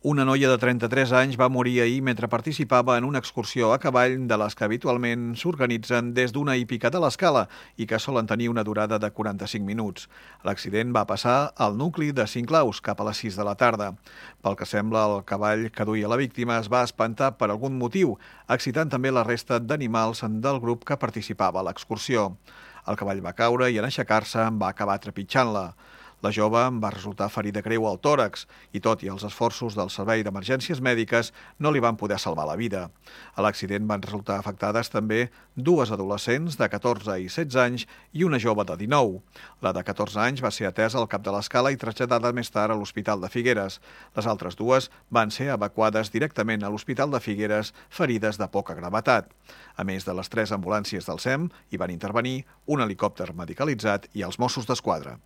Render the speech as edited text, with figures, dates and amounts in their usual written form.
Una noia de 33 anys va morir ahir mentre participava en una excursió a cavall de les que habitualment s'organitzen des d'una hípica de l'Escala i que solen tenir una durada de 45 minuts. L'accident va passar al nucli de Sinclaus cap a les 6 de la tarda. Pel que sembla, el cavall que duia la víctima es va espantar per algun motiu, excitant també la resta d'animals del grup que participava a l'excursió. El cavall va caure i en aixecar-se va acabar trepitjant-la. La jove va resultar ferida greu al tòrax i, tot i els esforços del Servei d'Emergències Mèdiques, no li van poder salvar la vida. A l'accident van resultar afectades també dues adolescents de 14 i 16 anys i una jove de 19. La de 14 anys va ser atesa al cap de l'Escala i traslladada més tard a l'Hospital de Figueres. Les altres dues van ser evacuades directament a l'Hospital de Figueres, ferides de poca gravetat. A més de les 3 ambulàncies del SEM, hi van intervenir un helicòpter medicalitzat i els Mossos d'Esquadra.